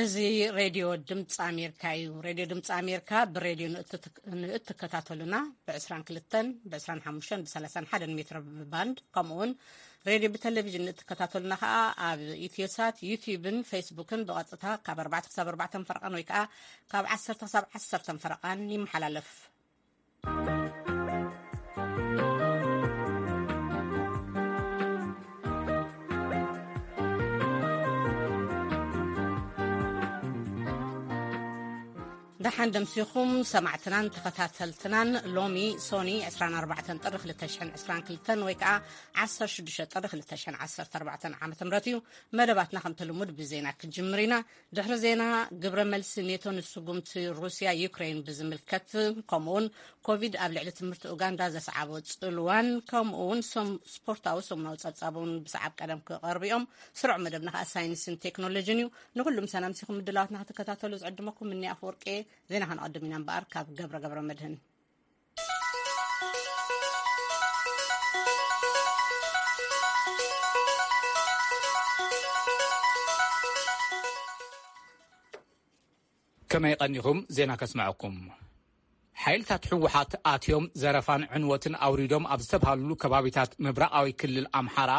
እዚ ሬድዮ ድምፂ ኣሜሪካ እዩ። ሬድዮ ድምፂ ኣሜሪካ ብሬድዮ ንእትትክ-፣ ንእትከታተሉና ብ22፣ ብ25፣ ብ31 ሜትር ባንድ፣ ከምኡ እውን ሬድዮ ብቴሌቪዥን ንእትከታተሉና ከዓ ኣብ ኢትዮሳት፣ ዩቲዩብን ፌስቡክን ብቐጥታ ካብ ኣርባዕተ ክሳብ ኣርባዕተ ፈረቓን ወይ ከዓ ካብ ዓሰርተ ክሳብ ዓሰርተ ፈረቓን ይመሓላለፍ። ደሓን ደምሲኹም ሰማዕትናን ተኸታተልትናን። ሎሚ ሶኒ ዕስራን ኣርባዕተን ጥሪ ክልተ ሽሕን ዕስራን ክልተን ወይ ከዓ ዓሰርተ ሽዱሽተ ጥሪ ክልተ ሽሕን ዓሰርተ ኣርባዕተን ዓመተ ምህረት እዩ። መደባትና ከምቲ ልሙድ ብዜና ክጅምር ኢና። ድሕሪ ዜና፣ ግብረ መልሲ ኔቶ ንስጉምቲ ሩስያ ዩክሬን ብዝምልከት፣ ከምኡውን ኮቪድ ኣብ ልዕሊ ትምህርቲ ኡጋንዳ ዘስዓቦ ጽልዋን፣ ከምኡውን ሶም-፣ ስፖርታዊ ሰሙናዊ ጸብጻብ እውን ብሰዓብ ቀደም ክቐርቡ እዮም። ስሩዕ መደብና ከኣ ሳይንስን ቴክኖሎጂን እዩ። ንኹሉ ምሳና ኣምሲኹም ምድላዋትና ክትከታተሉ ዝዕድመኩም እኒ ኣፈወርቂ። ዜና ከነቐድም ኢና እምበኣር ካብ ገብረ ገብረ መድህን። ከመይ ቀኒኹም? ዜና ከስምዐኩም። ሓይልታት ህወሓት ኣትዮም ዘረፋን ዕንወትን ኣውሪዶም ኣብ ዝተብሃሉሉ ከባቢታት ምብራቓዊ ክልል ኣምሓራ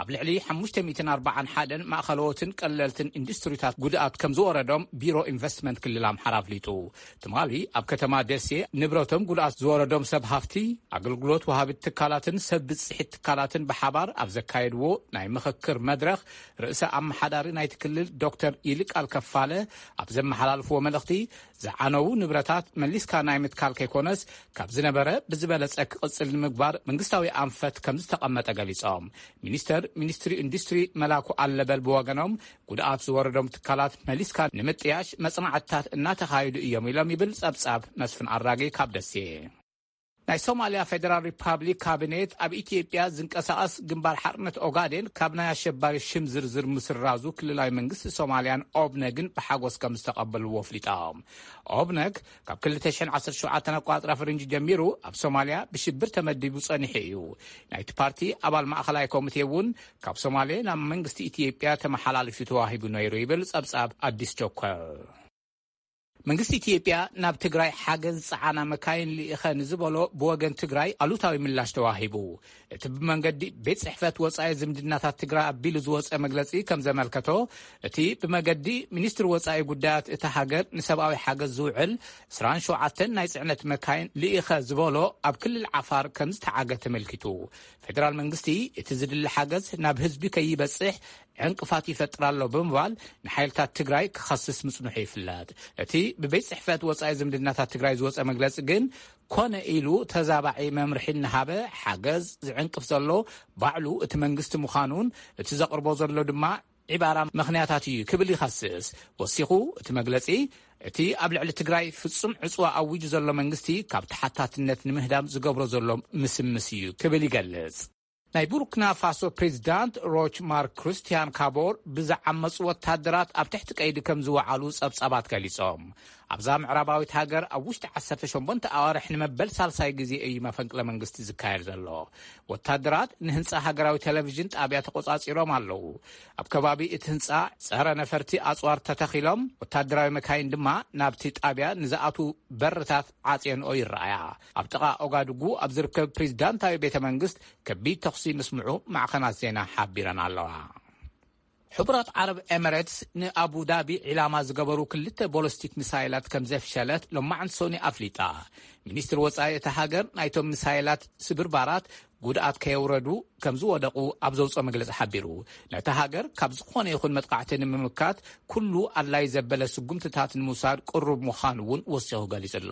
ኣብ ልዕሊ ሓሙሽተ ሚእትን ኣርባዓን ሓደን ማእኸለዎትን ቀለልትን ኢንዱስትሪታት ጉድኣት ከም ዝወረዶም ቢሮ ኢንቨስትመንት ክልል ኣምሓራ ኣፍሊጡ። ትማሊ ኣብ ከተማ ደሴ ንብረቶም ጉድኣት ዝወረዶም ሰብ ሃፍቲ፣ ኣገልግሎት ወሃቢት ትካላትን ሰብ ብፅሒት ትካላትን ብሓባር ኣብ ዘካየድዎ ናይ ምኽክር መድረኽ፣ ርእሰ ኣመሓዳሪ ናይቲ ክልል ዶክተር ይልቃል ከፋለ ኣብ ዘመሓላልፍዎ መልእኽቲ፣ ዝዓነዉ ንብረታት መሊስካ ናይ ምትካል ከይኮነስ፣ ካብ ዝነበረ ብዝበለጸ ክቕጽል ንምግባር መንግስታዊ ኣንፈት ከም ዝተቐመጠ ገሊጾም። ሚኒስተር ሚኒስትሪ ኢንዱስትሪ መላኩ ኣለበል ብወገኖም፣ ጉድኣት ዝወረዶም ትካላት መሊስካ ንምጥያሽ መጽናዕትታት እናተኻየዱ እዮም ኢሎም ይብል ጸብጻብ መስፍን ኣራጌ ካብ ደሴ። ናይ ሶማልያ ፌደራል ሪፓብሊክ ካቢኔት ኣብ ኢትዮጵያ ዝንቀሳቐስ ግንባር ሓርነት ኦጋዴን ካብ ናይ ኣሸባሪ ሽም ዝርዝር ምስራዙ ክልላዊ መንግስቲ ሶማልያን ኦብነግን ብሓጎስ ከም ዝተቐበልዎ ኣፍሊጦም። ኦብነግ ካብ ክልተ ሽሕን ዓሰርተ ሸውዓተን ኣቋጽራ ፈረንጂ ጀሚሩ ኣብ ሶማልያ ብሽብር ተመዲቡ ጸኒሑ እዩ። ናይቲ ፓርቲ ኣባል ማእኸላይ ኮሚቴ እውን ካብ ሶማሌ ናብ መንግስቲ ኢትዮጵያ ተመሓላሊፉ ተዋሂቡ ነይሩ ይብል ጸብጻብ ኣዲስ ቸኮል። መንግስቲ ኢትዮጵያ ናብ ትግራይ ሓገዝ ዝጸዓና መካይን ልኢኸ ንዝበሎ ብወገን ትግራይ ኣሉታዊ ምላሽ ተዋሂቡ። እቲ ብመንገዲ ቤት ጽሕፈት ወጻኢ ዝምድናታት ትግራይ ኣቢሉ ዝወጸ መግለጺ ከም ዘመልከቶ፣ እቲ ብመገዲ ሚኒስትሪ ወጻኢ ጉዳያት እታ ሃገር ንሰብኣዊ ሓገዝ ዝውዕል ዕስራን ሸውዓተን ናይ ጽዕነት መካይን ልኢኸ ዝበሎ ኣብ ክልል ዓፋር ከም ዝተዓገ ተመልኪቱ። ፌደራል መንግስቲ እቲ ዝድሊ ሓገዝ ናብ ህዝቢ ከይበጽሕ ዕንቅፋት ይፈጥር ኣሎ ብምባል ንሓይልታት ትግራይ ክኸስስ ምጽንሑ ይፍለጥ። እቲ ብቤት ጽሕፈት ወጻኢ ዝምድናታት ትግራይ ዝወጸ መግለጺ ግን፣ ኮነ ኢሉ ተዛባዒ መምርሒ እናሃበ ሓገዝ ዝዕንቅፍ ዘሎ ባዕሉ እቲ መንግስቲ ምዃኑን፣ እቲ ዘቕርቦ ዘሎ ድማ ዒባራ ምኽንያታት እዩ ክብል ይኸስስ። ወሲኹ እቲ መግለጺ፣ እቲ ኣብ ልዕሊ ትግራይ ፍጹም ዕጽዋ ኣዊጁ ዘሎ መንግስቲ ካብ ተሓታትነት ንምህዳም ዝገብሮ ዘሎ ምስምስ እዩ ክብል ይገልጽ። ናይ ቡርኪና ፋሶ ፕሬዚዳንት ሮች ማርክ ክርስቲያን ካቦር ብዝዓመፁ ወታደራት ኣብ ትሕቲ ቀይዲ ከም ዝወዓሉ ጸብጻባት ገሊጾም። ኣብዛ ምዕራባዊት ሃገር ኣብ ውሽጢ ዓሰርተ ሸሞንተ ኣዋርሕ ንመበል ሳልሳይ ግዜ እዩ መፈንቅለ መንግስቲ ዝካየድ ዘሎ። ወታደራት ንህንጻ ሃገራዊ ቴሌቪዥን ጣብያ ተቆጻጺሮም ኣለዉ። ኣብ ከባቢ እቲ ህንጻ ጸረ ነፈርቲ ኣጽዋር ተተኺሎም፣ ወታደራዊ መካይን ድማ ናብቲ ጣብያ ንዝኣትዉ በርታት ዓጽየንኦ ይረኣያ። ኣብ ጥቓ ኦጋድጉ ኣብ ዝርከብ ፕሬዚዳንታዊ ቤተ መንግስት ከቢድ ተኹሲ ምስምዑ ማዕኸናት ዜና ሓቢረን ኣለዋ። ሕቡራት ዓረብ ኤምሬትስ ንኣቡ ዳቢ ዒላማ ዝገበሩ ክልተ ቦለስቲክ ሚሳይላት ከም ዘፍሸለት ሎማዕንቲ ሶኒ ኣፍሊጣ። ሚኒስትር ወጻኢ እታ ሃገር ናይቶም ሚሳይላት ስብርባራት ጉድኣት ከየውረዱ ከም ዝወደቑ ኣብ ዘውፅኦ መግለጺ ሓቢሩ። ነታ ሃገር ካብ ዝኾነ ይኹን መጥቃዕቲ ንምምካት ኩሉ ኣድላይ ዘበለ ስጉምትታት ንምውሳድ ቅሩብ ምዃኑ እውን ወሲኹ ገሊጹ ኣሎ።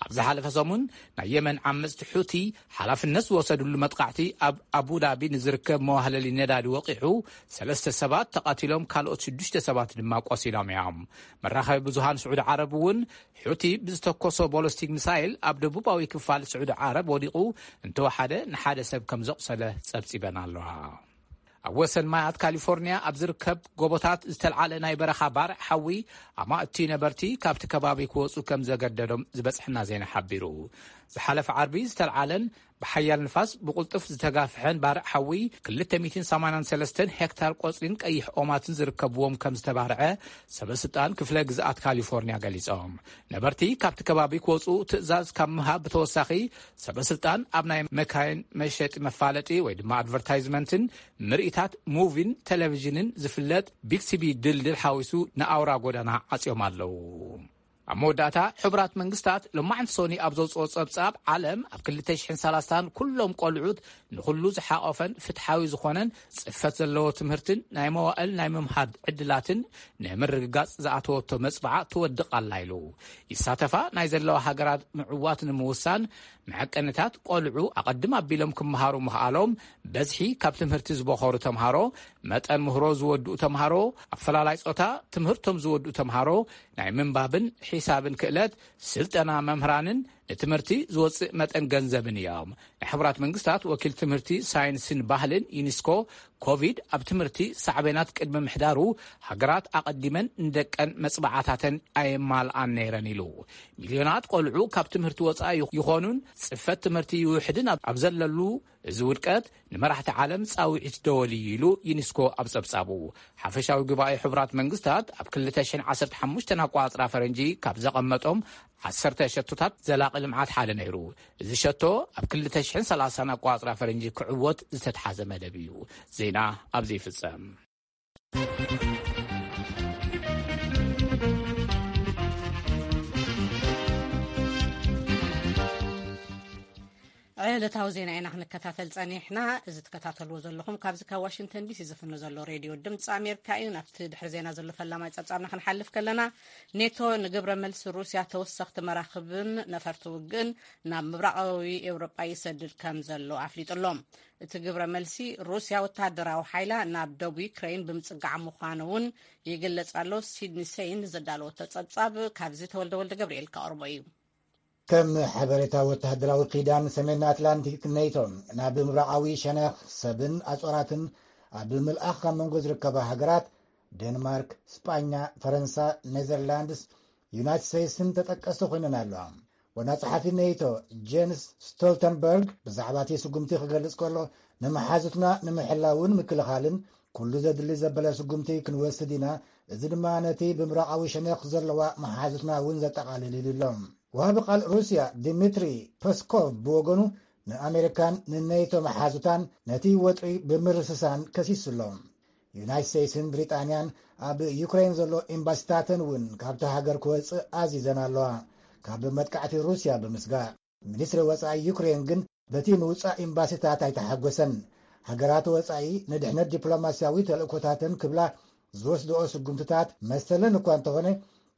ኣብ ዝሓለፈ ሰሙን ናይ የመን ዓመጽቲ ሑቲ ሓላፍነት ዝወሰድሉ መጥቃዕቲ ኣብ ኣቡዳቢ ንዝርከብ መዋህለሊ ነዳዲ ወቒዑ፣ ሰለስተ ሰባት ተቐቲሎም፣ ካልኦት ሽዱሽተ ሰባት ድማ ቆሲሎም እዮም። መራኸቢ ብዙሃን ስዑዲ ዓረብ እውን ሑቲ ብዝተኮሶ ቦለስቲክ ሚሳይል ኣብ ደቡባዊ ክፋል ስዑዲ ዓረብ ወዲቑ እንተወሓደ ንሓደ ሰብ ከም ዘቑሰለ ጸብጺበን ኣለዋ። ኣብ ወሰን ማያት ካሊፎርኒያ ኣብ ዝርከብ ጎቦታት ዝተልዓለ ናይ በረኻ ባርዕ ሓዊ ኣማእቲ ነበርቲ ካብቲ ከባቢ ክወጹ ከም ዘገደዶም ዝበጽሐና ዜና ሓቢሩ። ዝሓለፈ ዓርቢ ዝተልዓለን ብሓያል ንፋስ ብቕልጡፍ ዝተጋፍሐን ባርዕ ሓዊ ክልተ ሚእትን ሰማንያን ሰለስተን ሄክታር ቆጽሊን ቀይሕ ኦማትን ዝርከብዎም ከም ዝተባርዐ ሰበስልጣን ክፍለ ግዝኣት ካሊፎርኒያ ገሊጾም። ነበርቲ ካብቲ ከባቢ ክወጹ ትእዛዝ ካብ ምሃብ ብተወሳኺ ሰበስልጣን ኣብ ናይ መካይን መሸጢ መፋለጢ ወይ ድማ ኣድቨርታይዝመንትን ምርኢታት ሙቪን ቴሌቪዥንን ዝፍለጥ ቢክሲቢ ድልድል ሓዊሱ ንኣውራ ጎዳና ዓጽዮም ኣለዉ። ኣብ መወዳእታ ሕቡራት መንግስታት ሎማዕንቲ ሶኒ ኣብ ዘውፅኦ ጸብጻብ ዓለም ኣብ ክልተ ሽሕን ሰላሳን ኩሎም ቆልዑት ንኹሉ ዝሓቆፈን ፍትሓዊ ዝኾነን ጽፈት ዘለዎ ትምህርትን ናይ መዋእል ናይ ምምሃር ዕድላትን ንምርግጋጽ ዝኣተወቶ መጽባዓ ትወድቕ ኣላ ኢሉ። ይሳተፋ ናይ ዘለዋ ሃገራት ምዕዋት ንምውሳን መዐቀንታት ቆልዑ ኣቐድም ኣቢሎም ክመሃሩ ምኽኣሎም፣ በዝሒ ካብ ትምህርቲ ዝበኾሩ ተምሃሮ፣ መጠን ምህሮ ዝወድኡ ተምሃሮ፣ ኣፈላላይ ጾታ ትምህርቶም ዝወድኡ ተምሃሮ፣ ናይ ምንባብን ሒሳብን ክእለት፣ ስልጠና መምህራንን ንትምህርቲ ዝወጽእ መጠን ገንዘብን እዮም። ናይ ሕቡራት መንግስታት ወኪል ትምህርቲ፣ ሳይንስን ባህልን ዩኒስኮ፣ ኮቪድ ኣብ ትምህርቲ ሳዕቤናት ቅድሚ ምሕዳሩ፣ ሃገራት ኣቐዲመን ንደቀን መጽባዓታተን ኣየማልኣን ነይረን ኢሉ። ሚልዮናት ቆልዑ ካብ ትምህርቲ ወጻኢ ይኾኑን ጽፈት ትምህርቲ ይውሕድን ኣብ ዘለሉ፣ እዚ ውድቀት ንመራሕቲ ዓለም ጻውዒት ደወል እዩ ኢሉ ዩኒስኮ ኣብ ጸብጻቡ። ሓፈሻዊ ጉባኤ ሕቡራት መንግስታት ኣብ ክልተ ሽሕን ዓሰርተ ሓሙሽተን ኣቋጽራ ፈረንጂ ካብ ዘቐመጦም ዓሰርተ ሸቶታት ዘላቒ ልምዓት ሓደ ነይሩ። እዚ ሸቶ ኣብ ክልተ ሽሕን ሰላሳን ኣቋጽራ ፈረንጂ ክዕወት ዝተትሓዘ መደብ እዩ። ዜና ኣብዚ ይፍጸም። ዕለታዊ ዜና ኢና ክንከታተል ጸኒሕና። እዚ ትከታተልዎ ዘለኹም ካብዚ ካብ ዋሽንግተን ዲሲ ዝፍኖ ዘሎ ሬድዮ ድምፂ ኣሜሪካ እዩ። ናብቲ ድሕሪ ዜና ዘሎ ፈላማይ ጸብጻብና ክንሓልፍ ከለና፣ ኔቶ ንግብረ መልሲ ሩስያ ተወሰኽቲ መራኽብን ነፈርቲ ውግእን ናብ ምብራቓዊ ኤውሮጳ ይሰድድ ከም ዘሎ ኣፍሊጡ ኣሎ። እቲ ግብረ መልሲ ሩስያ ወተሃደራዊ ሓይላ ናብ ደቡብ ዩክሬን ብምጽጋዕ ምዃኑ እውን ይግለጽ ኣሎ። ሲድኒ ሴይን ዘዳለወቶ ጸብጻብ ካብዚ ተወልደ ወልደ ገብርኤል ከቕርቦ እዩ። ከም ሓበሬታ ወተሃደራዊ ኪዳን ሰሜን ኣትላንቲክ ኔቶ፣ ናብ ምብራቓዊ ሸነኽ ሰብን ኣጾራትን ኣብ ምልኣኽ ካብ መንጎ ዝርከባ ሃገራት፣ ዴንማርክ፣ ስጳኛ፣ ፈረንሳ፣ ኔዘርላንድስ፣ ዩናይትድ ስቴትስን ተጠቀስቲ ኮይነን ኣለዋ። ዋና ጸሓፊ ኔቶ ጄንስ ስቶልተንበርግ ብዛዕባ እቲ ስጉምቲ ክገልጽ ከሎ፣ ንመሓዙትና ንምሕላውን ምክልኻልን ኩሉ ዘድሊ ዘበለ ስጉምቲ ክንወስድ ኢና፣ እዚ ድማ ነቲ ብምብራቓዊ ሸነኽ ዘለዋ መሓዙትና እውን ዘጠቓልል ኢሉ ኣሎ። ወሃቢ ቃል ሩስያ ዲሚትሪ ፐስኮቭ ብወገኑ፣ ንኣሜሪካን ንኔቶ መሓዙታን ነቲ ወጥሪ ብምርስሳን ከሲሱ ኣሎ። ዩናይትድ ስቴትስን ብሪጣንያን ኣብ ዩክሬን ዘሎ ኤምባሲታተን እውን ካብቲ ሃገር ክወጽእ ኣዚዘን ኣለዋ፣ ካብ መጥቃዕቲ ሩስያ ብምስጋእ። ሚኒስትሪ ወጻኢ ዩክሬን ግን፣ በቲ ምውጻእ ኤምባሲታት ኣይተሓጎሰን። ሃገራት ወጻኢ ንድሕነት ዲፕሎማስያዊ ተልእኮታተን ክብላ ዝወስድኦ ስጉምትታት መሰለን እኳ እንተኾነ፣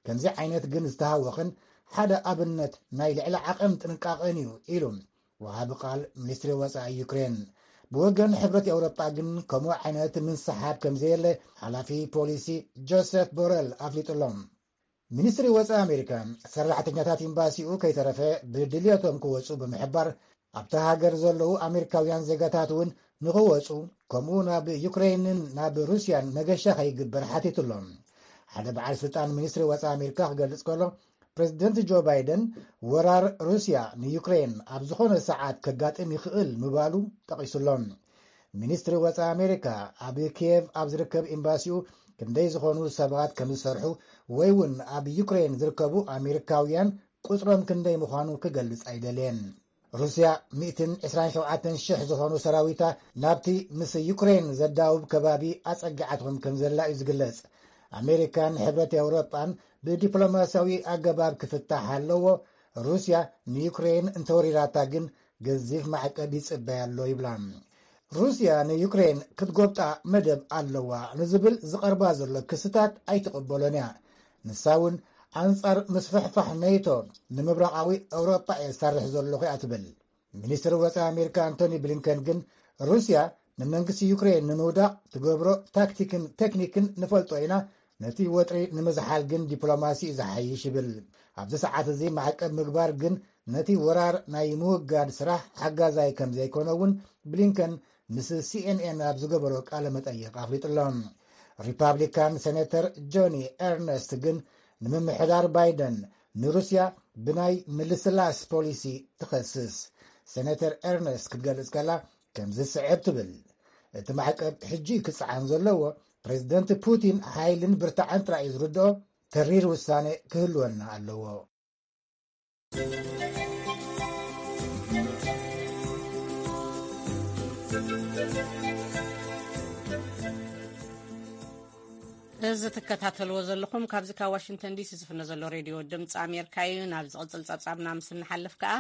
ከምዚ ዓይነት ግን ዝተሃወኸን ሓደ ኣብነት ናይ ልዕሊ ዓቐን ጥንቃቐን እዩ ኢሉ ወሃቢ ቃል ሚኒስትሪ ወጻኢ ዩክሬን። ብወገን ሕብረት ኤውሮጳ ግን ከምኡ ዓይነት ምንስሓብ ከም ዘየለ ሓላፊ ፖሊሲ ጆሴፍ ቦረል ኣፍሊጡ ኣሎ። ሚኒስትሪ ወጻኢ ኣሜሪካ፣ ሰራሕተኛታት ኤምባሲኡ ከይተረፈ ብድልየቶም ክወጹ ብምሕባር፣ ኣብታ ሃገር ዘለዉ ኣሜሪካውያን ዜጋታት እውን ንኽወጹ፣ ከምኡ ናብ ዩክሬንን ናብ ሩስያን መገሻ ከይግበር ሓቲቱ ኣሎ። ሓደ በዓል ስልጣን ሚኒስትሪ ወጻኢ ኣሜሪካ ክገልጽ ከሎ፣ ፕሬዚደንት ጆ ባይደን ወራር ሩስያ ንዩክሬን ኣብ ዝኾነ ሰዓት ከጋጥም ይኽእል ምባሉ ጠቒሱ ኣሎ። ሚኒስትሪ ወጻኢ ኣሜሪካ፣ ኣብ ኪየቭ ኣብ ዝርከብ ኤምባሲኡ ክንደይ ዝኾኑ ሰባት ከም ዝሰርሑ ወይ እውን ኣብ ዩክሬን ዝርከቡ ኣሜሪካውያን ቁጽሮም ክንደይ ምዃኑ ክገልጽ ኣይደልየን። ሩስያ ሚእትን ዕስራን ሸውዓተን ሽሕ ዝኾኑ ሰራዊታ ናብቲ ምስ ዩክሬን ዘዳውብ ከባቢ ኣጸጊዓቶም ከም ዘላ እዩ ዝግለጽ። ኣሜሪካን ሕብረት ኤውሮጳን ብዲፕሎማስያዊ ኣገባብ ክፍታሕ ኣለዎ፣ ሩስያ ንዩክሬን እንተወሪራታ ግን ገዚፍ ማዕቀብ ይጽበያ ኣሎ ይብላ። ሩስያ ንዩክሬን ክትጎብጣ መደብ ኣለዋ ንዝብል ዝቐርባ ዘሎ ክስታት ኣይትቕበሎን እያ። ንሳ እውን ኣንጻር ምስፍሕፋሕ ኔቶ ንምብራቓዊ ኤውሮጳ እየ ዝሰርሕ ዘለኹ እያ ትብል። ሚኒስትሪ ወጻኢ ኣሜሪካ ኣንቶኒ ብሊንከን ግን፣ ሩስያ ንመንግስቲ ዩክሬን ንምውዳቕ ትገብሮ ታክቲክን ቴክኒክን ንፈልጦ ኢና፣ ነቲ ወጥሪ ንምዝሓል ግን ዲፕሎማሲ እዩ ዝሓይሽ ይብል። ኣብዚ ሰዓት እዚ ማዕቀብ ምግባር ግን ነቲ ወራር ናይ ምውጋድ ስራሕ ሓጋዛይ ከም ዘይኮነ እውን ብሊንከን ምስ ሲኤንኤን ኣብ ዝገበሮ ቃለ መጠይቕ ኣፍሊጡ ኣሎ። ሪፓብሊካን ሴኔተር ጆኒ ኤርነስት ግን፣ ንምምሕዳር ባይደን ንሩስያ ብናይ ምልስላስ ፖሊሲ ትኸስስ። ሴነተር ኤርነስት ክትገልጽ ከላ ከምዚ ስዕብ ትብል። እቲ ማዕቀብ ሕጂ ክጸዓን ዘለዎ ፕሬዚደንት ፑቲን ሓይልን ብርታዐን ጥራይ እዩ ዝርድኦ፣ ተሪር ውሳኔ ክህልወና ኣለዎ። እዚ ትከታተልዎ ዘለኹም ካብዚ ካብ ዋሽንግተን ዲሲ ዝፍነ ዘሎ ሬድዮ ድምፂ ኣሜሪካ እዩ። ናብ ዝቕፅል ፀብፃብና ምስ እንሓልፍ ከኣ፣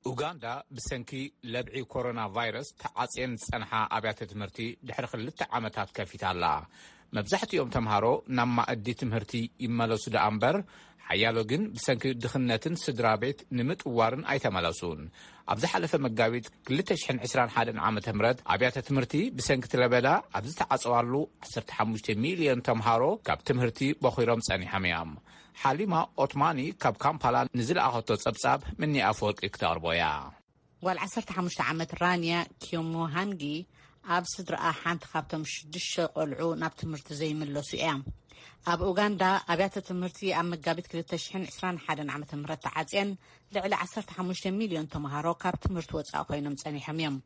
ኡጋንዳ ብሰንኪ ለብዒ ኮሮና ቫይረስ ተዓፅየን ዝፀንሓ ኣብያተ ትምህርቲ ድሕሪ ክልተ ዓመታት ከፊታ ኣላ። መብዛሕትኦም ተምሃሮ ናብ ማእዲ ትምህርቲ ይመለሱ ደኣ እምበር፣ ሓያሎ ግን ብሰንኪ ድኽነትን ስድራ ቤት ንምጥዋርን ኣይተመለሱን። ኣብ ዝሓለፈ መጋቢት ክልተ ሽሕን ዕስራን ሓደን ዓመተ ምህረት ኣብያተ ትምህርቲ ብሰንኪ እቲ ለበዳ ኣብ ዝተዓጸዋሉ ዓሰርተ ሓሙሽተ ሚልዮን ተምሃሮ ካብ ትምህርቲ በኺሮም ጸኒሖም እዮም። ሓሊማ ኦትማኒ ካብ ካምፓላ ንዝለኣኸቶ ጸብጻብ ምኒ ኣፈወርቂ ክተቕርቦ እያ። ጓል ዓሰርተ ሓሙሽተ ዓመት ራንያ ኪዮሞሃንጊ ኣብ ስድራኣ ሓንቲ ካብቶም ሽዱሽተ ቆልዑ ናብ ትምህርቲ ዘይምለሱ እያ። ኣብ ኡጋንዳ ኣብያተ ትምህርቲ ኣብ መጋቢት ክልተ ሽሕን ዕስራን ሓደን ዓመተ ምህረት ተዓጽየን ልዕሊ ዓሰርተ ሓሙሽተ ሚልዮን ተምሃሮ ካብ ትምህርቲ ወጻኢ ኮይኖም ጸኒሖም እዮም።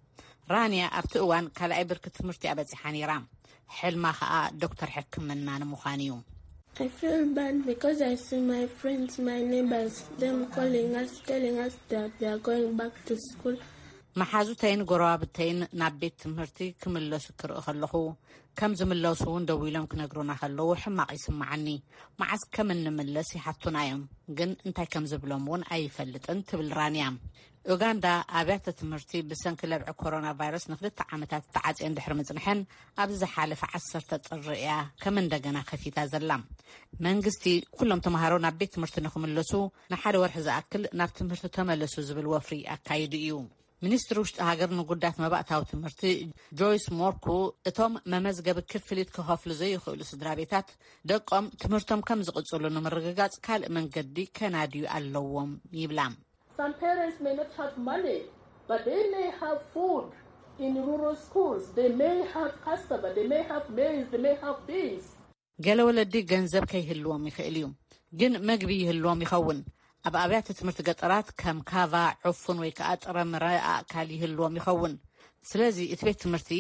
ራንያ ኣብቲ እዋን ካልኣይ ብርኪ ትምህርቲ እያ በጺሓ ነይራ። ሕልማ ከኣ ዶክተር ሕክምና ንምዃን እዩ። I feel bad because I see my friends, my neighbors, them calling us, telling us that they are going back to school. መሓዙተይን ጎረባብተይን ናብ ቤት ትምህርቲ ክምለሱ ክርኢ ከለኹ፣ ከም ዝምለሱ እውን ደዊሎም ክነግሩና ከለዉ ሕማቕ ይስምዓኒ። መዓስ ከም እንምለስ ይሓቱና እዮም፣ ግን እንታይ ከም ዝብሎም እውን ኣይፈልጥን ትብል ራንያ። ኡጋንዳ ኣብያተ ትምህርቲ ብሰንኪ ለብዒ ኮሮና ቫይረስ ንክልተ ዓመታት ተዓፅየን ድሕሪ ምፅንሐን፣ ኣብዚ ዝሓለፈ ዓሰርተ ጥሪ እያ ከም እንደገና ከፊታ ዘላ። መንግስቲ ኩሎም ተምሃሮ ናብ ቤት ትምህርቲ ንክምለሱ ንሓደ ወርሒ ዝኣክል ናብ ትምህርቲ ተመለሱ ዝብል ወፍሪ ኣካይዱ እዩ። ሚኒስትሪ ውሽጢ ሃገር ንጉዳት መባእታዊ ትምህርቲ ጆይስ ሞርኩ፣ እቶም መመዝገቢ ክፍሊት ክኸፍሉ ዘይኽእሉ ስድራ ቤታት ደቆም ትምህርቶም ከም ዝቕጽሉ ንምርግጋጽ ካልእ መንገዲ ከናድዩ ኣለዎም ይብላ። Some parents may not have money, but they may have food in rural schools. They may have cassava, they may have maize, they may have beans. ገለ ወለዲ ገንዘብ ከይህልዎም ይኽእል እዩ፣ ግን መግቢ ይህልዎም ይኸውን። ኣብ ኣብያተ ትምህርቲ ገጠራት ከም ካቫ፣ ዕፉን ወይ ከኣ ጥረምረ ኣእካል ይህልዎም ይኸውን። ስለዚ እቲ ቤት ትምህርቲ፣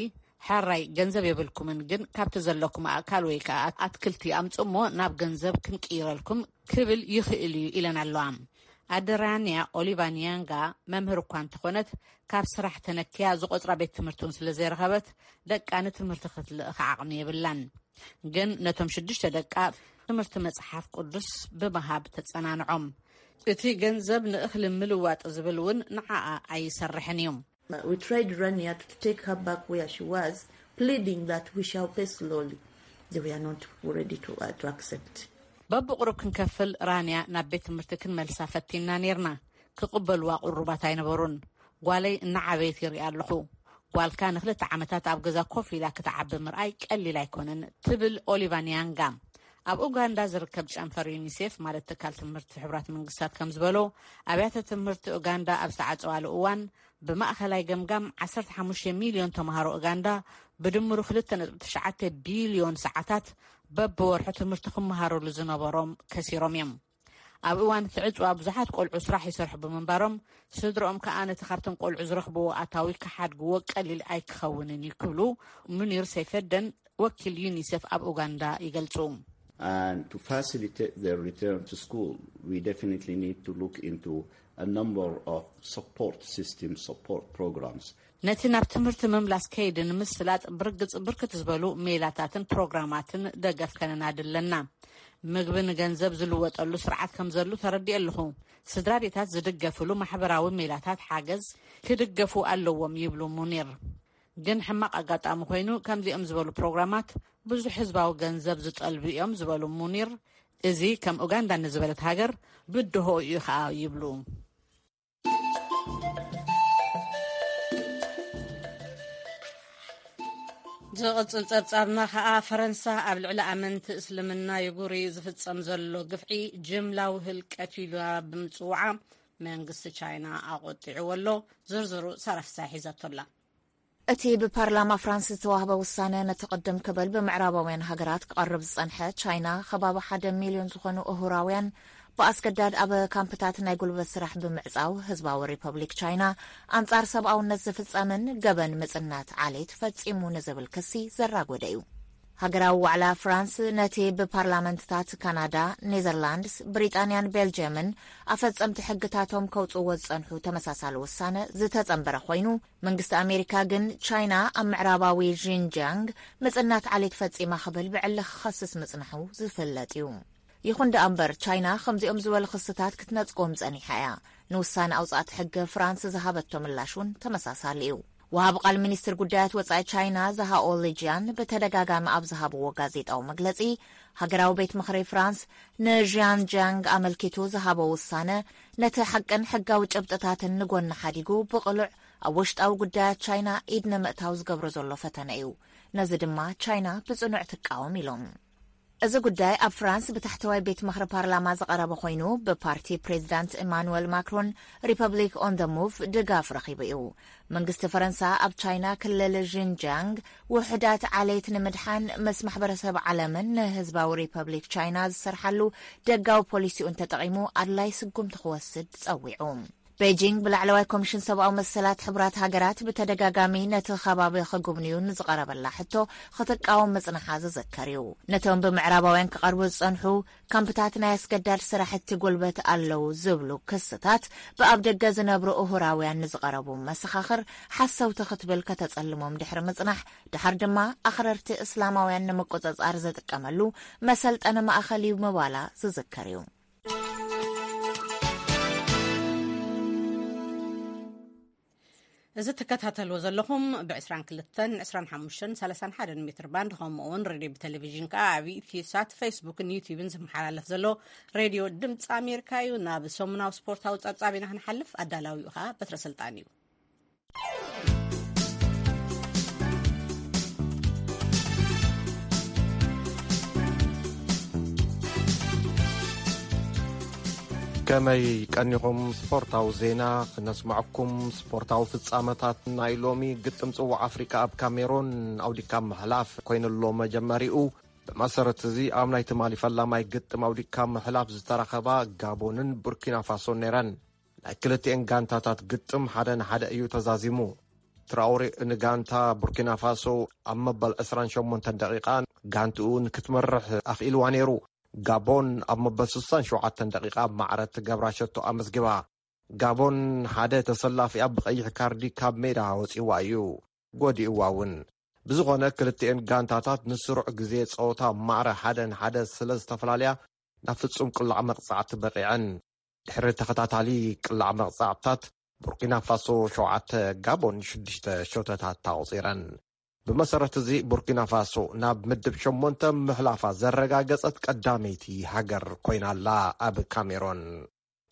ሕራይ ገንዘብ የብልኩምን፣ ግን ካብቲ ዘለኩም ኣእካል ወይ ከኣ ኣትክልቲ ኣምጽእሞ ናብ ገንዘብ ክንቅይረልኩም ክብል ይኽእል እዩ ኢለን ኣለዋ። ኣደ ራንያ ኦሊቫ ኒያንጋ መምህር እኳ እንተኾነት፣ ካብ ስራሕ ተነክያ ዝቆጽራ ቤት ትምህርቲ እውን ስለ ዘይረኸበት፣ ደቃ ንትምህርቲ ክትልእኽ ዓቕሚ የብላን። ግን ነቶም ሽዱሽተ ደቃ ትምህርቲ መጽሓፍ ቅዱስ ብምሃብ ተጸናንዖም። እቲ ገንዘብ ንእኽሊ ምልዋጥ ዝብል እውን ንዓኣ ኣይሰርሕን እዩ። We tried Rania to take her back where she was, pleading that we shall pay slowly. They were not ready to, uh, to accept. በብቕሩብ ክንከፍል ራንያ ናብ ቤት ትምህርቲ ክንመልሳ ፈቲና ኔርና። ክቕበልዋ ቅሩባት ኣይነበሩን። ጓለይ እናዓበየት ይርኢ ኣለኹ። ጓልካ ንክልተ ዓመታት ኣብ ገዛ ኮፍ ኢላ ክትዓቢ ምርኣይ ቀሊል ኣይኮነን ትብል ኦሊቫ ኒያንጋ። ኣብ ኡጋንዳ ዝርከብ ጨንፈር ዩኒሴፍ፣ ማለት ትካል ትምህርቲ ሕቡራት መንግስታት ከም ዝበሎ፣ ኣብያተ ትምህርቲ ኡጋንዳ ኣብ ዝተዓጸዋሉ እዋን ብማእኸላይ ገምጋም ዓሰርተ ሓሙሽተ ሚልዮን ተምሃሮ ኡጋንዳ ብድምሩ ክልተ ነጥቢ ትሽዓተ ቢልዮን ሰዓታት በብወርሑ ትምህርቲ ክመሃረሉ ዝነበሮም ከሲሮም እዮም። ኣብ እዋን እቲ ዕጽዋ ብዙሓት ቆልዑ ስራሕ ይሰርሑ ብምንባሮም፣ ስድረኦም ከኣ ነቲ ካብቶም ቆልዑ ዝረኽብዎ ኣታዊ ክሓድግዎ ቀሊል ኣይክኸውንን እዩ ክብሉ ሙኒር ሰይፈደን ወኪል ዩኒሴፍ ኣብ ኡጋንዳ ይገልጹ። And to facilitate their return to school, we definitely need to look into a number of support system support programs. ነቲ ናብ ትምህርቲ ምምላስ ከይዲ ንምስላጥ ብርግጽ ብርክት ዝበሉ ሜላታትን ፕሮግራማትን ደገፍ ከነናዲ ኣለና። ምግቢ ንገንዘብ ዝልወጠሉ ስርዓት ከም ዘሉ ተረዲኤ ኣለኹ። ስድራ ቤታት ዝድገፍሉ ማሕበራዊ ሜላታት ሓገዝ ክድገፉ ኣለዎም ይብሉ ሙኒር። ግን ሕማቕ ኣጋጣሚ ኮይኑ ከምዚኦም ዝበሉ ፕሮግራማት ብዙሕ ህዝባዊ ገንዘብ ዝጠልቡ እዮም ዝበሉ ሙኒር፣ እዚ ከም ኡጋንዳ ንዝበለት ሃገር ብድሆ እዩ ኸኣ ይብሉ። ዝቕጽል ጸብጻብና ኸኣ፣ ፈረንሳ ኣብ ልዕሊ ኣመንቲ እስልምና ይጉሪ ዝፍጸም ዘሎ ግፍዒ ጅምላዊ ህልቀት ኢላ ብምጽውዓ መንግስቲ ቻይና ኣቖጢዕዎ ኣሎ። ዝርዝሩ ሰራፍሳ ሒዛቶ ኣላ። እቲ ብፓርላማ ፍራንስ ዝተዋህበ ውሳነ፣ ነቲ ቅድም ክብል ብምዕራባውያን ሃገራት ክቐርብ ዝጸንሐ፣ ቻይና ከባቢ ሓደ ሚልዮን ዝኾኑ እሁራውያን ብኣስገዳድ ኣብ ካምፕታት ናይ ጉልበት ስራሕ ብምዕጻው፣ ህዝባዊ ሪፐብሊክ ቻይና ኣንጻር ሰብኣውነት ዝፍጸምን ገበን ምጽናት ዓሌት ፈጺሙ ንዝብል ክሲ ዘራጎደ እዩ። ሃገራዊ ዋዕላ ፍራንስ ነቲ ብፓርላመንትታት ካናዳ፣ ኔዘርላንድስ፣ ብሪጣንያን ቤልጅየምን ኣፈጸምቲ ሕግታቶም ከውጽእዎ ዝጸንሑ ተመሳሳሊ ውሳነ ዝተጸንበረ ኮይኑ፣ መንግስቲ ኣሜሪካ ግን ቻይና ኣብ ምዕራባዊ ዢንጂያንግ ምጽናት ዓሌት ፈጺማ ክብል ብዕሊ ክኸስስ ምጽናሑ ዝፍለጥ እዩ። ይኹን ደኣ እምበር፣ ቻይና ከምዚኦም ዝበሉ ክስታት ክትነጽጎም ጸኒሓ እያ። ንውሳነ ኣውጻእቲ ሕጊ ፍራንስ ዝሃበቶ ምላሽ እውን ተመሳሳሊ እዩ። ወሃቢ ቃል ሚኒስትር ጉዳያት ወጻኢ ቻይና ዛሃኦ ሊጂያን ብተደጋጋሚ ኣብ ዝሃብዎ ጋዜጣዊ መግለጺ፣ ሃገራዊ ቤት ምኽሪ ፍራንስ ንዢንጂያንግ ኣመልኪቱ ዝሃቦ ውሳነ፣ ነቲ ሓቅን ሕጋዊ ጭብጥታትን ንጎኒ ሓዲጉ፣ ብቕሉዕ ኣብ ውሽጣዊ ጉዳያት ቻይና ኢድ ንምእታው ዝገብሮ ዘሎ ፈተነ እዩ። ነዚ ድማ ቻይና ብጽኑዕ ትቃወም ኢሎም። እዚ ጉዳይ ኣብ ፍራንስ ብታሕተዋይ ቤት ምኽሪ ፓርላማ ዝቐረበ ኮይኑ፣ ብፓርቲ ፕሬዚዳንት ኢማኑዌል ማክሮን፣ ሪፐብሊክ ኦን ደ ሙቭ፣ ድጋፍ ረኺቡ እዩ። መንግስቲ ፈረንሳ ኣብ ቻይና ክልል ዢንጂያንግ ውሑዳት ዓሌት ንምድሓን ምስ ማሕበረሰብ ዓለምን ንህዝባዊ ሪፐብሊክ ቻይና ዝሰርሓሉ ደጋዊ ፖሊሲኡ እንተጠቒሙ ኣድላይ ስጉምቲ ክወስድ ጸዊዑ። ቤጂንግ ብላዕለዋይ ኮሚሽን ሰብኣዊ መሰላት ሕቡራት ሃገራት ብተደጋጋሚ ነቲ ከባቢ ክጉብንዩ ንዝቐረበላ ሕቶ ክትቃወም ምጽንሓ ዝዝከር እዩ። ነቶም ብምዕራባውያን ክቐርቡ ዝጸንሑ ካምፕታት ናይ ኣስገዳድ ስራሕቲ ጉልበት ኣለዉ ዝብሉ ክስታት፣ ብኣብ ደገ ዝነብሩ እሁራውያን ንዝቐረቡ መሰኻኽር ሓሰውቲ ክትብል ከተጸልሞም ድሕሪ ምጽናሕ፣ ድሓር ድማ ኣኽረርቲ እስላማውያን ንምቁጽጻር ዝጥቀመሉ መሰልጠኒ ማእኸል እዩ ምባላ ዝዝከር እዩ። እዚ ትከታተልዎ ዘለኹም ብ22፣ 25፣ 31 ሜትር ባንድ፣ ከምኡ እውን ሬድዮ ብቴሌቪዥን ከኣ ኣብ ኢትዮ ሳት፣ ፌስቡክን ዩቲዩብን ዝመሓላለፍ ዘሎ ሬድዮ ድምፂ ኣሜሪካ እዩ። ናብ ሰሙናዊ ስፖርታዊ ጸብጻብ ኢና ክንሓልፍ። ኣዳላዊኡ ከኣ በትረ ስልጣን እዩ። ከመይ ቀኒኹም? ስፖርታዊ ዜና ክነስምዐኩም። ስፖርታዊ ፍጻመታት ናይ ሎሚ ግጥም ጽዋዕ ኣፍሪቃ ኣብ ካሜሮን ኣውዲካ ምሕላፍ ኮይኑሎ መጀመሪኡ። ብመሰረት እዚ ኣብ ናይ ትማሊ ፈላማይ ግጥም ኣውዲካ ምሕላፍ ዝተረኸባ ጋቦንን ቡርኪና ፋሶን ነይረን። ናይ ክልቲኤን ጋንታታት ግጥም ሓደ ንሓደ እዩ ተዛዚሙ። ትራኦሬ ንጋንታ ቡርኪና ፋሶ ኣብ መበል ዕስራን ሸሞንተን ደቂቃ ጋንትኡ ንክትመርሕ ኣኽኢልዋ ነይሩ። ጋቦን ኣብ መበል ስሳን ሸውዓተን ደቂቃ ማዕረ ትገብራ ሸቶ ኣመዝጊባ። ጋቦን ሓደ ተሰላፊኣ ብቐይሕ ካርዲ ካብ ሜዳ ወጺዋ እዩ ጎዲእዋ እውን። ብዝኾነ ክልቲኤን ጋንታታት ንስሩዕ ግዜ ጸወታ ማዕረ ሓደ ንሓደ ስለ ዝተፈላለያ ናብ ፍጹም ቅላዕ መቕጻዕቲ በቒዐን። ድሕሪ ተኸታታሊ ቅላዕ መቕጻዕትታት ቡርኪና ፋሶ ሸውዓተ፣ ጋቦን ሽዱሽተ ሸቶታት ኣቑጺረን። ብመሰረት እዚ ቡርኪና ፋሶ ናብ ምድብ ሸሞንተ ምሕላፋ ዘረጋገጸት ቀዳመይቲ ሃገር ኮይና ኣላ። ኣብ ካሜሮን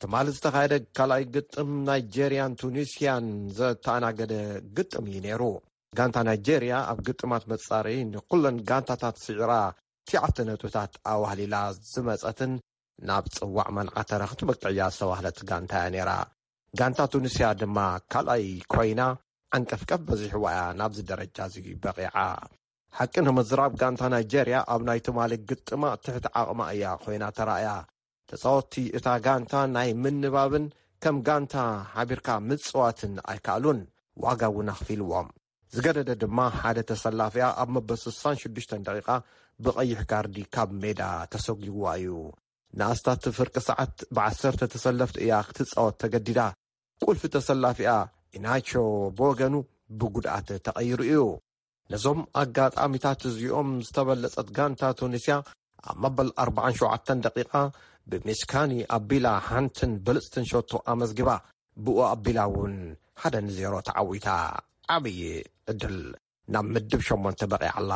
ትማሊ ዝተኻየደ ካልኣይ ግጥም ናይጄርያን ቱኒስያን ዘተኣናገደ ግጥም እዩ ነይሩ። ጋንታ ናይጄርያ ኣብ ግጥማት መጻረዪ ንኩለን ጋንታታት ስዒራ ትሽዓተ ነጥብታት ኣዋህሊላ ዝመጸትን ናብ ጽዋዕ መንዓተረ ክትበቅዕ እያ ዝተባህለት ጋንታ እያ ነይራ። ጋንታ ቱኒስያ ድማ ካልኣይ ኮይና ዓንቀፍቀፍ በዚሕዋ እያ ናብዚ ደረጃ እዚ በቒዓ። ሓቂ ንምዝራብ ጋንታ ናይጄርያ ኣብ ናይ ትማሊ ግጥማ ትሕቲ ዓቕማ እያ ኮይና ተራእያ። ተጻወትቲ እታ ጋንታ ናይ ምንባብን ከም ጋንታ ሓቢርካ ምጽዋትን ኣይከኣሉን፣ ዋጋ እውን ኣኽፊልዎም። ዝገደደ ድማ ሓደ ተሰላፊኣ ኣብ መበል ስሳን ሽዱሽተን ደቂቓ ብቐይሕ ካርዲ ካብ ሜዳ ተሰጒግዋ እዩ። ንኣስታት ፍርቂ ሰዓት ብዓሰርተ ተሰለፍቲ እያ ክትጻወት ተገዲዳ። ቁልፊ ተሰላፊኣ ኢናቾ ብወገኑ ብጉድኣት ተቐይሩ እዩ። ነዞም ኣጋጣሚታት እዚኦም ዝተበለጸት ጋንታ ቱኒስያ ኣብ መበል ኣርባዓን ሸውዓተን ደቂቓ ብሚስካኒ ኣቢላ ሓንትን ብልጽትን ሸቶ ኣመዝጊባ። ብኡ ኣቢላ እውን ሓደ ንዜሮ ተዓዊታ። ዓብዪ ዕድል ናብ ምድብ ሸሞንተ በቒዓ ኣላ።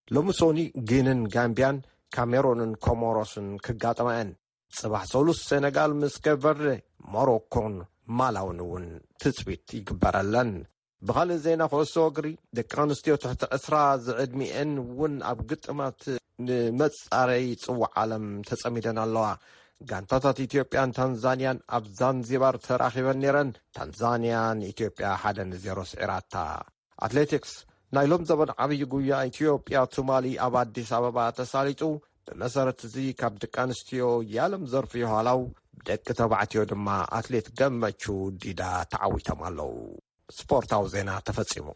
ሎሚ ሶኒ ጊንን ጋምቢያን ካሜሮንን ኮሞሮስን ክጋጠማ እየን። ጽባሕ ሰሉስ ሴነጋል ምስ ኬፕ ቨርደ፣ ሞሮኮን ማላውን እውን ትጽቢት ይግበረለን። ብኻልእ ዜና ኩዕሶ እግሪ፣ ደቂ ኣንስትዮ ትሕቲ ዕስራ ዝዕድሚኤን እውን ኣብ ግጥማት ንመጻረዪ ጽዋዕ ዓለም ተጸሚደን ኣለዋ። ጋንታታት ኢትዮጵያን ታንዛንያን ኣብ ዛንዚባር ተራኺበን ነይረን። ታንዛንያ ንኢትዮጵያ ሓደ ንዜሮ ስዒራታ። ኣትሌቲክስ፣ ናይ ሎም ዘበን ዓብዪ ጉያ ኢትዮጵያ ቱማሊ ኣብ ኣዲስ ኣበባ ተሳሊጡ። ብመሰረት እዚ ካብ ደቂ ኣንስትዮ የዓለም ዘርፍ የኋላው፣ ደቂ ተባዕትዮ ድማ ኣትሌት ገመቹ ዲዳ ተዓዊቶም ኣለዉ። ስፖርታዊ ዜና ተፈጺሙ።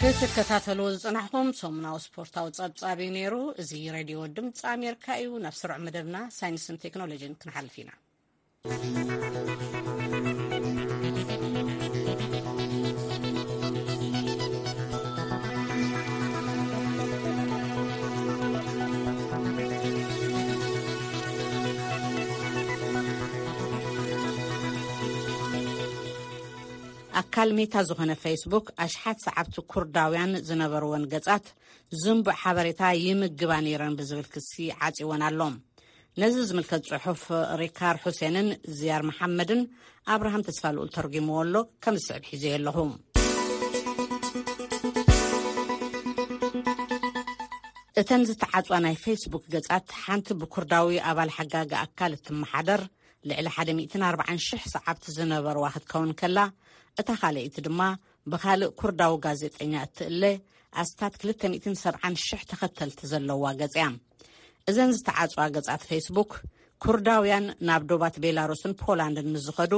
ክትከታተልዎ ዝጸናሕኩም ሰሙናዊ ስፖርታዊ ጸብጻብ እዩ ነይሩ። እዚ ሬድዮ ድምፂ ኣሜሪካ እዩ። ናብ ስሩዕ መደብና ሳይንስን ቴክኖሎጂን ክንሓልፍ ኢና። ኣካል ሜታ ዝኾነ ፌስቡክ ኣሽሓት ሰዓብቲ ኩርዳውያን ዝነበርወን ገጻት ዝንቡዕ ሓበሬታ ይምግባ ነይረን ብዝብል ክሲ ዓጺወን ኣሎ። ነዚ ዝምልከት ጽሑፍ ሪካር ሑሴንን ዝያር መሓመድን ኣብርሃም ተስፋልኡል ተርጒምዎ ኣሎ። ከም ዝስዕብ ሒዘዮ ኣለኹ። እተን ዝተዓጽዋ ናይ ፌስቡክ ገጻት ሓንቲ ብኩርዳዊ ኣባል ሓጋጊ ኣካል እትመሓደር ልዕሊ ሓደ ሚእትን ኣርባዓን ሽሕ ሰዓብቲ ዝነበርዋ ክትከውን ከላ፣ እታ ካልኣይቲ ድማ ብኻልእ ኩርዳዊ ጋዜጠኛ እትእለ ኣስታት ክልተ ሚእትን ሰብዓን ሽሕ ተኸተልቲ ዘለዋ ገጽ እያ። እዘን ዝተዓጽዋ ገጻት ፌስቡክ፣ ኩርዳውያን ናብ ዶባት ቤላሩስን ፖላንድን ምስ ዝኸዱ፣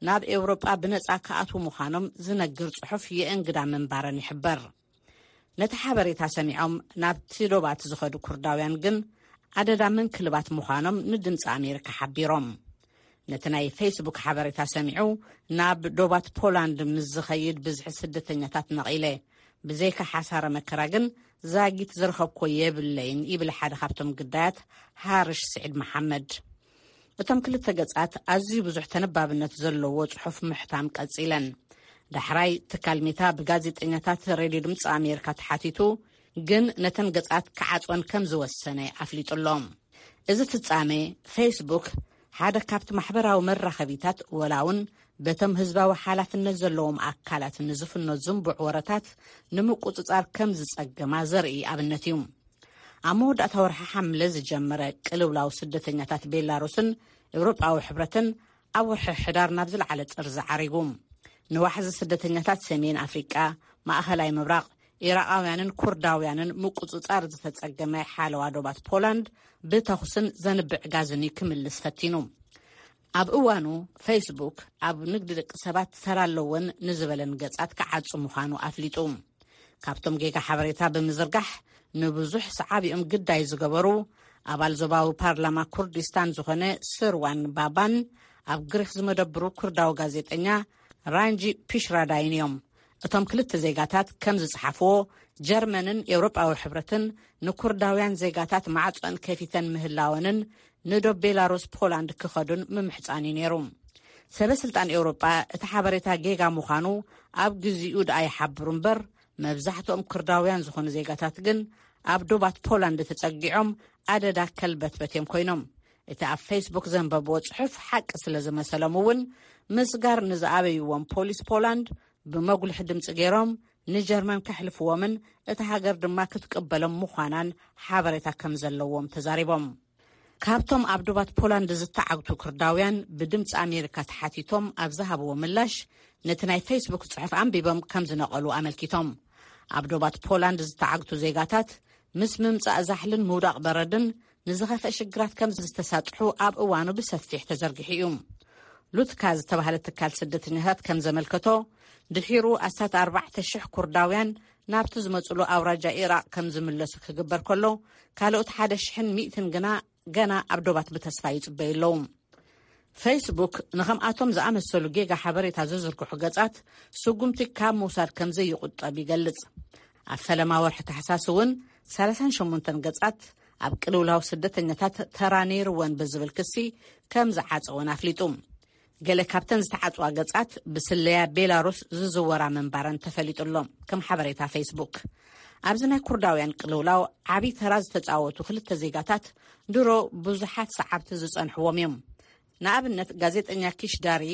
ናብ ኤውሮጳ ብነጻ ክኣትዉ ምዃኖም ዝነግር ጽሑፍ የእንግዳ ምንባረን ይሕበር። ነቲ ሓበሬታ ሰሚዖም ናብቲ ዶባት ዝኸዱ ኩርዳውያን ግን ኣደዳ ምንክልባት ምዃኖም ንድምፂ ኣሜሪካ ሓቢሮም። ነቲ ናይ ፌስቡክ ሓበሬታ ሰሚዑ ናብ ዶባት ፖላንድ ምስ ዝኸይድ ብዝሒ ስደተኛታት ነቒለ፣ ብዘይካ ሓሳረ መከራ ግን ዛጊት ዝረኸብኮ የብለይን፣ ይብል ሓደ ካብቶም ግዳያት ሃርሽ ስዒድ መሓመድ። እቶም ክልተ ገጻት ኣዝዩ ብዙሕ ተነባብነት ዘለዎ ጽሑፍ ምሕታም ቀጺለን። ዳሕራይ ትካል ሜታ ብጋዜጠኛታት ሬድዮ ድምፂ ኣሜሪካ ተሓቲቱ፣ ግን ነተን ገጻት ክዓጽወን ከም ዝወሰነ ኣፍሊጡ ኣሎ። እዚ ፍጻሜ፣ ፌስቡክ ሓደ ካብቲ ማሕበራዊ መራኸቢታት፣ ወላ እውን በቶም ህዝባዊ ሓላፍነት ዘለዎም ኣካላት ንዝፍኖ ዝንቡዕ ወረታት ንምቁጽጻር ከም ዝጸገማ ዘርኢ ኣብነት እዩ። ኣብ መወዳእታ ወርሒ ሓምለ ዝጀመረ ቅልውላው ስደተኛታት ቤላሩስን ኤውሮጳዊ ሕብረትን ኣብ ወርሒ ሕዳር ናብ ዝለዓለ ጥርዚ ዓሪጉ። ንዋሕዚ ስደተኛታት ሰሜን ኣፍሪቃ፣ ማእኸላይ ምብራቕ፣ ኢራቓውያንን ኩርዳውያንን ምቁጽጻር ዝተጸገመ ሓለዋ ዶባት ፖላንድ ብተኹስን ዘንብዕ ጋዝን እዩ ክምልስ ፈቲኑ። ኣብ እዋኑ ፌስቡክ ኣብ ንግዲ ደቂ ሰባት ተራ ኣለወን ንዝበለን ገጻት ክዓጹ ምዃኑ ኣፍሊጡ። ካብቶም ጌጋ ሓበሬታ ብምዝርጋሕ ንብዙሕ ሰዓቢኦም ግዳይ ዝገበሩ ኣባል ዞባዊ ፓርላማ ኩርዲስታን ዝኾነ ስርዋን ባባን ኣብ ግሪክ ዝመደብሩ ኩርዳዊ ጋዜጠኛ ራንጂ ፒሽራዳይን እዮም። እቶም ክልተ ዜጋታት ከም ዝጸሓፍዎ፣ ጀርመንን ኤውሮጳዊ ሕብረትን ንኩርዳውያን ዜጋታት ማዕጾን ከፊተን ምህላወንን ንዶብ ቤላሩስ ፖላንድ ክኸዱን ምምሕጻን እዩ ነይሩ። ሰበ ስልጣን ኤውሮጳ እቲ ሓበሬታ ጌጋ ምዃኑ ኣብ ግዚኡ ደኣ ይሓብሩ እምበር፣ መብዛሕትኦም ኩርዳውያን ዝኾኑ ዜጋታት ግን ኣብ ዶባት ፖላንድ ተጸጊዖም ኣደዳ ከልበትበት እዮም ኮይኖም። እቲ ኣብ ፌስቡክ ዘንበብዎ ጽሑፍ ሓቂ ስለ ዝመሰሎም እውን፣ ምስጋር ንዝኣበይዎም ፖሊስ ፖላንድ ብመጉልሒ ድምጺ ገይሮም ንጀርመን ከሕልፍዎምን እታ ሃገር ድማ ክትቅበሎም ምዃናን ሓበሬታ ከም ዘለዎም ተዛሪቦም። ካብቶም ኣብ ዶባት ፖላንድ ዝተዓግቱ ኩርዳውያን ብድምፂ ኣሜሪካ ተሓቲቶም ኣብ ዝሃብዎ ምላሽ፣ ነቲ ናይ ፌስቡክ ጽሑፍ ኣንቢቦም ከም ዝነቐሉ ኣመልኪቶም። ኣብ ዶባት ፖላንድ ዝተዓግቱ ዜጋታት ምስ ምምጻእ ዛሕልን ምውዳቕ በረድን ንዝኸፍአ ሽግራት ከም ዝተሳጥሑ ኣብ እዋኑ ብሰፊሕ ተዘርጊሑ እዩ። ሉትካ ዝተባህለ ትካል ስደተኛታት ከም ዘመልከቶ፣ ድሒሩ ኣስታት ኣርባዕተ ሽሕ ኩርዳውያን ናብቲ ዝመጽሉ ኣውራጃ ኢራቕ ከም ዝምለሱ ክግበር ከሎ፣ ካልኦት ሓደ ሽሕን ሚእትን ግና ገና ኣብ ዶባት ብተስፋ ይጽበዩ ኣለዉ። ፌስቡክ ንኸምኣቶም ዝኣመሰሉ ጌጋ ሓበሬታ ዝዝርግሑ ገጻት ስጉምቲ ካብ ምውሳድ ከም ዘይቁጠብ ይገልጽ። ኣብ ፈለማ ወርሒ ታሕሳስ እውን ሰላሳን ሸሞንተን ገጻት ኣብ ቅልውላው ስደተኛታት ተራ ነይርወን ብዝብል ክሲ ከም ዝዓጸወን ኣፍሊጡ። ገለ ካብተን ዝተዓጽዋ ገጻት ብስለያ ቤላሩስ ዝዝወራ ምንባረን ተፈሊጡ ኣሎ። ከም ሓበሬታ ፌስቡክ፣ ኣብዚ ናይ ኩርዳውያን ቅልውላው ዓቢ ተራ ዝተጻወቱ ክልተ ዜጋታት ድሮ ብዙሓት ሰዓብቲ ዝጸንሕዎም እዮም። ንኣብነት፣ ጋዜጠኛ ኪሽ ዳሪ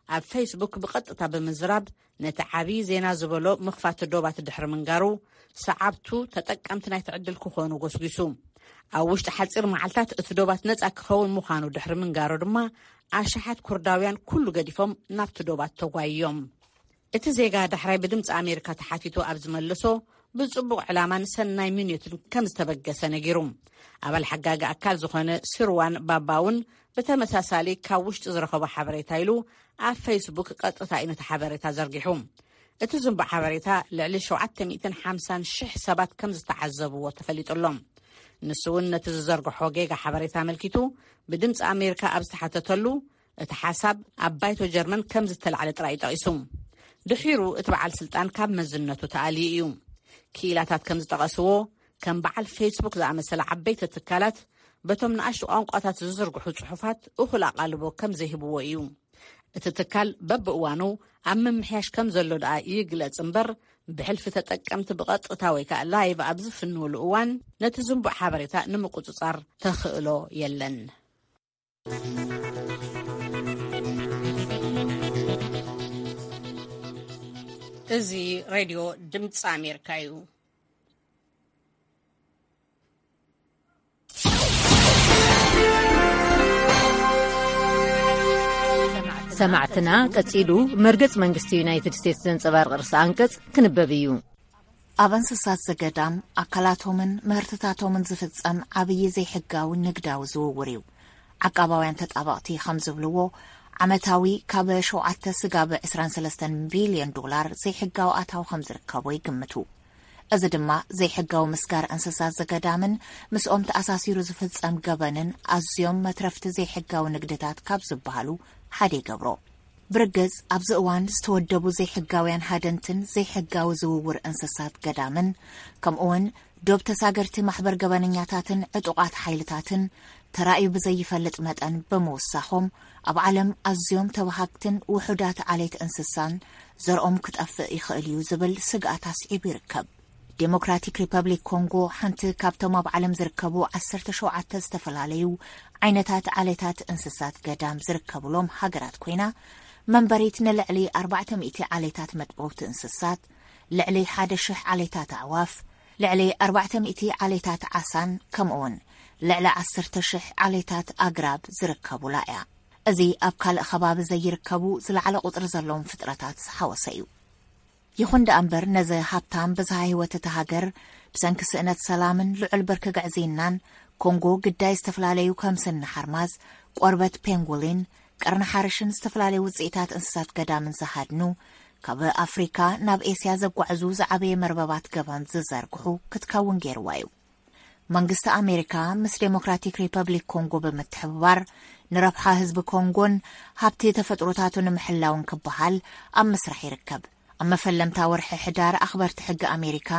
ኣብ ፌስቡክ ብቐጥታ ብምዝራብ ነቲ ዓቢ ዜና ዝበሎ ምኽፋት ዶባት ድሕሪ ምንጋሩ፣ ሰዓብቱ ተጠቀምቲ ናይቲ ዕድል ክኾኑ ጎስጒሱ። ኣብ ውሽጢ ሓጺር መዓልታት እቲ ዶባት ነጻ ክኸውን ምዃኑ ድሕሪ ምንጋሩ ድማ፣ ኣሽሓት ኩርዳውያን ኩሉ ገዲፎም ናብቲ ዶባት ተጓይዮም። እቲ ዜጋ ዳሕራይ ብድምፂ ኣሜሪካ ተሓቲቱ ኣብ ዝመለሶ፣ ብጽቡቕ ዕላማን ሰናይ ምንዮትን ከም ዝተበገሰ ነጊሩ። ኣባል ሓጋጊ ኣካል ዝኾነ ሲርዋን ባባ እውን ብተመሳሳሊ ካብ ውሽጢ ዝረኸቦ ሓበሬታ ኢሉ ኣብ ፌስቡክ ቀጥታ እዩ ነቲ ሓበሬታ ዘርጊሑ። እቲ ዝንቡዕ ሓበሬታ ልዕሊ ሸውዓተ ሚእትን ሓምሳን ሽሕ ሰባት ከም ዝተዓዘብዎ ተፈሊጡ ኣሎ። ንሱ እውን ነቲ ዝዘርግሖ ጌጋ ሓበሬታ ኣመልኪቱ ብድምፂ ኣሜሪካ ኣብ ዝተሓተተሉ፣ እቲ ሓሳብ ኣብ ባይቶ ጀርመን ከም ዝተላዕለ ጥራይ እዩ ጠቒሱ። ድሒሩ እቲ በዓል ስልጣን ካብ መዝነቱ ተኣልዩ እዩ። ክኢላታት ከም ዝጠቐስዎ፣ ከም በዓል ፌስቡክ ዝኣመሰለ ዓበይቲ ትካላት በቶም ንኣሽቱ ቋንቋታት ዝዝርግሑ ጽሑፋት እኹል ኣቓልቦ ከም ዘይህብዎ እዩ። እቲ ትካል በብእዋኑ ኣብ ምምሕያሽ ከም ዘሎ ደኣ ይግለጽ እምበር፣ ብሕልፊ ተጠቀምቲ ብቐጥታ ወይ ከኣ ላይቭ ኣብ ዝፍንውሉ እዋን ነቲ ዝንቡዕ ሓበሬታ ንምቁጽጻር ተኽእሎ የለን። እዚ ሬድዮ ድምፂ ኣሜሪካ እዩ። ሰማዕትና፣ ቀጺሉ መርገጽ መንግስቲ ዩናይትድ ስቴትስ ዘንጸባርቕ ርእሰ ኣንቀጽ ክንበብ እዩ። ኣብ እንስሳት ዘገዳም ኣካላቶምን ምህርትታቶምን ዝፍጸም ዓብዪ ዘይሕጋዊ ንግዳዊ ዝውውር እዩ። ዓቃባውያን ተጣበቕቲ ከም ዝብልዎ፣ ዓመታዊ ካብ ሸውዓተ ስጋብ ዕስራን ሰለስተን ቢልዮን ዶላር ዘይሕጋዊ ኣታዊ ከም ዝርከቦ ይግምቱ። እዚ ድማ ዘይሕጋዊ ምስጋር እንስሳት ዘገዳምን ምስኦም ተኣሳሲሩ ዝፍጸም ገበንን ኣዝዮም መትረፍቲ ዘይሕጋዊ ንግድታት ካብ ዝበሃሉ ሓደ ይገብሮ። ብርግጽ፣ ኣብዚ እዋን ዝተወደቡ ዘይሕጋውያን ሃደንትን ዘይሕጋዊ ዝውውር እንስሳት ገዳምን፣ ከምኡውን ዶብ ተሳገርቲ ማሕበር ገበነኛታትን ዕጡቓት ሓይልታትን ተራእዩ ብዘይፈልጥ መጠን ብምውሳኾም፣ ኣብ ዓለም ኣዝዮም ተባሃግትን ውሑዳት ዓሌት እንስሳን ዘርኦም ክጠፍእ ይኽእል እዩ ዝብል ስግኣት ኣስዒቡ ይርከብ። ዴሞክራቲክ ሪፐብሊክ ኮንጎ ሓንቲ ካብቶም ኣብ ዓለም ዝርከቡ ዓሰርተ ሸውዓተ ዝተፈላለዩ ዓይነታት ዓሌታት እንስሳት ገዳም ዝርከብሎም ሃገራት ኮይና፣ መንበሪት ንልዕሊ ኣርባዕተ ሚእቲ ዓሌታት መጥበውቲ እንስሳት፣ ልዕሊ ሓደ ሽሕ ዓሌታት ኣዕዋፍ፣ ልዕሊ ኣርባዕተ ሚእቲ ዓሌታት ዓሳን ከምኡውን ልዕሊ ዓሰርተ ሽሕ ዓሌታት ኣግራብ ዝርከቡላ እያ። እዚ ኣብ ካልእ ከባቢ ዘይርከቡ ዝለዓለ ቁጽሪ ዘለዎም ፍጥረታት ዝሓወሰ እዩ። ይኹን ደኣ እምበር፣ ነዚ ሃብታም ብዝሃ ህይወት እታ ሃገር ብሰንኪ ስእነት ሰላምን ልዑል ብርኪ ግዕዝይናን፣ ኮንጎ ግዳይ ዝተፈላለዩ ከም ስኒ ሓርማዝ፣ ቆርበት ፔንጉሊን፣ ቀርኒ ሓርሽን ዝተፈላለዩ ውፅኢታት እንስሳት ገዳምን ዝሃድኑ፣ ካብ ኣፍሪካ ናብ ኤስያ ዘጓዕዙ ዝዓበየ መርበባት ገበን ዝዘርግሑ ክትከውን ገይርዋ እዩ። መንግስቲ ኣሜሪካ ምስ ዴሞክራቲክ ሪፐብሊክ ኮንጎ ብምትሕብባር፣ ንረብሓ ህዝቢ ኮንጎን ሃብቲ ተፈጥሮታቱ ንምሕላውን ክበሃል ኣብ ምስራሕ ይርከብ። ኣብ መፈለምታ ወርሒ ሕዳር፣ ኣኽበርቲ ሕጊ ኣሜሪካ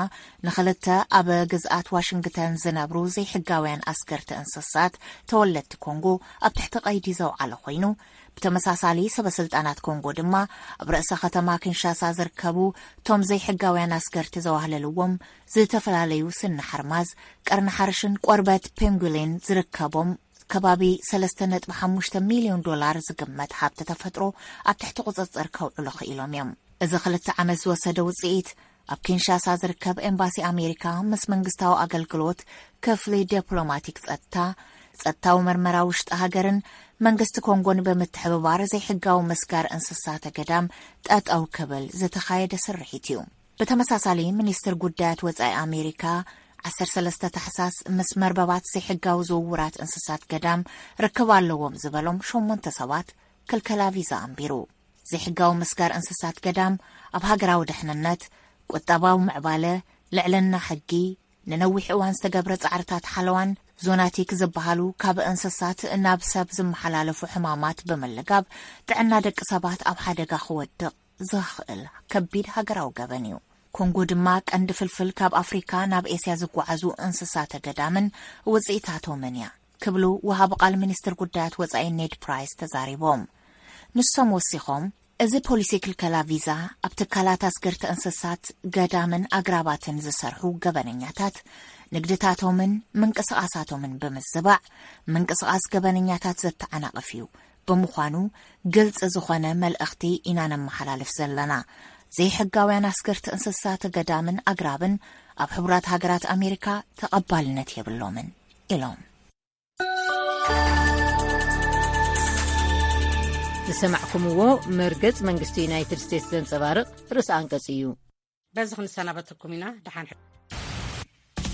ንኽልተ ኣብ ግዝኣት ዋሽንግተን ዝነብሩ ዘይሕጋውያን ኣስገርቲ እንስሳት ተወለድቲ ኮንጎ ኣብ ትሕቲ ቀይዲ ዘውዓለ ኮይኑ፣ ብተመሳሳሊ፣ ሰበ ስልጣናት ኮንጎ ድማ ኣብ ርእሰ ከተማ ኪንሻሳ ዝርከቡ እቶም ዘይሕጋውያን ኣስገርቲ ዘዋህለልዎም ዝተፈላለዩ ስኒ ሓርማዝ፣ ቀርኒ ሓርሽን ቆርበት ፔንጉሊን ዝርከቦም ከባቢ ሰለስተ ነጥቢ ሓሙሽተ ሚልዮን ዶላር ዝግመት ሃብቲ ተፈጥሮ ኣብ ትሕቲ ቁጽጽር ከውዕሉ ክኢሎም እዮም። እዚ ክልተ ዓመት ዝወሰደ ውጽኢት፣ ኣብ ኪንሻሳ ዝርከብ ኤምባሲ ኣሜሪካ ምስ መንግስታዊ ኣገልግሎት፣ ክፍሊ ዲፕሎማቲክ ጸጥታ፣ ጸጥታዊ መርመራ ውሽጢ ሃገርን መንግስቲ ኮንጎን ብምትሕብባር ዘይሕጋዊ ምስጋር እንስሳተ ገዳም ጠጠው ክብል ዝተኻየደ ስርሒት እዩ። ብተመሳሳሊ፣ ሚኒስትር ጉዳያት ወጻኢ ኣሜሪካ ዓሰርተ ሰለስተ ታሕሳስ ምስ መርበባት ዘይሕጋዊ ዝውውራት እንስሳት ገዳም ርክብ ኣለዎም ዝበሎም ሸሞንተ ሰባት ክልከላ ቪዛ ኣንቢሩ። ዘይሕጋዊ ምስጋር እንስሳት ገዳም ኣብ ሃገራዊ ድሕንነት፣ ቁጠባዊ ምዕባለ፣ ልዕልና ሕጊ፣ ንነዊሕ እዋን ዝተገብረ ጻዕርታት ሓለዋን ዞናቲክ ዝበሃሉ ካብ እንስሳት ናብ ሰብ ዝመሓላለፉ ሕማማት ብምልጋብ ጥዕና ደቂ ሰባት ኣብ ሓደጋ ክወድቕ ዘኽእል ከቢድ ሃገራዊ ገበን እዩ። ኮንጎ ድማ ቀንዲ ፍልፍል ካብ ኣፍሪካ ናብ ኤስያ ዝጓዓዙ እንስሳተ ገዳምን ውጽኢታቶምን እያ ክብሉ ወሃቢ ቃል ሚኒስትር ጉዳያት ወጻኢ ኔድ ፕራይስ ተዛሪቦም። ንሶም ወሲኾም፣ እዚ ፖሊሲ ክልከላ ቪዛ ኣብ ትካላት ኣስገርቲ እንስሳት ገዳምን ኣግራባትን ዝሰርሑ ገበነኛታት ንግድታቶምን ምንቅስቓሳቶምን ብምዝባዕ ምንቅስቓስ ገበነኛታት ዘተዓናቕፍ እዩ። ብምዃኑ፣ ግልፂ ዝኾነ መልእኽቲ ኢና ነመሓላልፍ ዘለና። ዘይሕጋውያን ኣስገርቲ እንስሳት ገዳምን ኣግራብን ኣብ ሕቡራት ሃገራት ኣሜሪካ ተቐባልነት የብሎምን። ኢሎም። ዝሰማዕኩምዎ መርገጽ መንግስቲ ዩናይትድ ስቴትስ ዘንጸባርቕ ርእሰ ኣንቀጽ እዩ። በዚ ክንሰናበተኩም ኢና። ደሓን